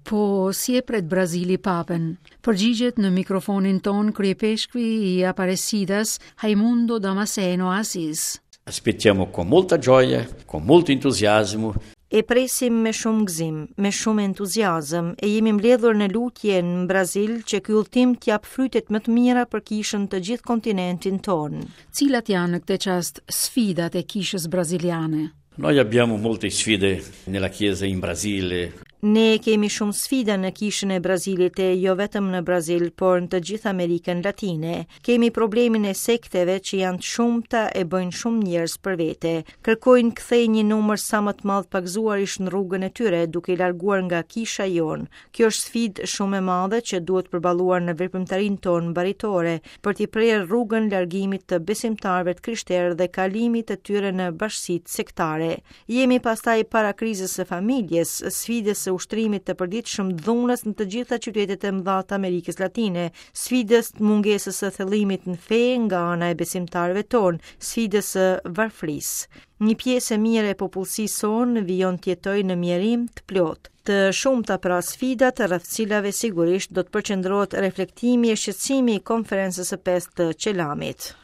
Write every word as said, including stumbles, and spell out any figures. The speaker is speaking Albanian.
Po, si e pret Brazili Papen? Përgjigjet në mikrofonin ton kryepeshkvi i Aparecidas, Raimundo Damasceno Assis. Aspettiamo con molta gioia, con molto entusiasmo. E presim me shumë gëzim, me shumë entuziazëm, e jemi mbledhur në lutje në Brazil që ky udhtim të jap frytet më të mira për kishën të gjithë kontinentin tonë. Cilat janë në këtë çast sfidat e kishës braziliane? Noi abbiamo molte sfide nella Chiesa in Brasile. Ne kemi shumë sfida në kishën e Brazilit e jo vetëm në Brazil, por në të gjithë Amerikën Latine. Kemi problemin e sekteve që janë të shumta e bëjnë shumë njerëz për vete. Kërkojnë kthejnë një numër sa më të madh pagëzuarish në rrugën e tyre, duke i larguar nga kisha jonë. Kjo është sfidë shumë e madhe që duhet përballuar në veprimtarinë tonë baritore për t'i prerë rrugën largimit të besimtarëve të krishterë dhe kalimit të tyre në bashkësitë sektare. Jemi pastaj para krizës së familjes, sfidës së ushtrimit të përditshëm dhunës në të gjitha qytetet e mëdha të Amerikës Latine, sfidës të mungesës së thellimit në fe nga ana e besimtarëve tonë, sfidës së varfërisë. Një pjesë e mirë e popullsisë sonë vijon të jetojë në mjerim të plotë. Të shumta pra sfidat rreth cilave sigurisht do të përqendrohet reflektimi e shqetësimi i konferencës së pestë të Çelamit.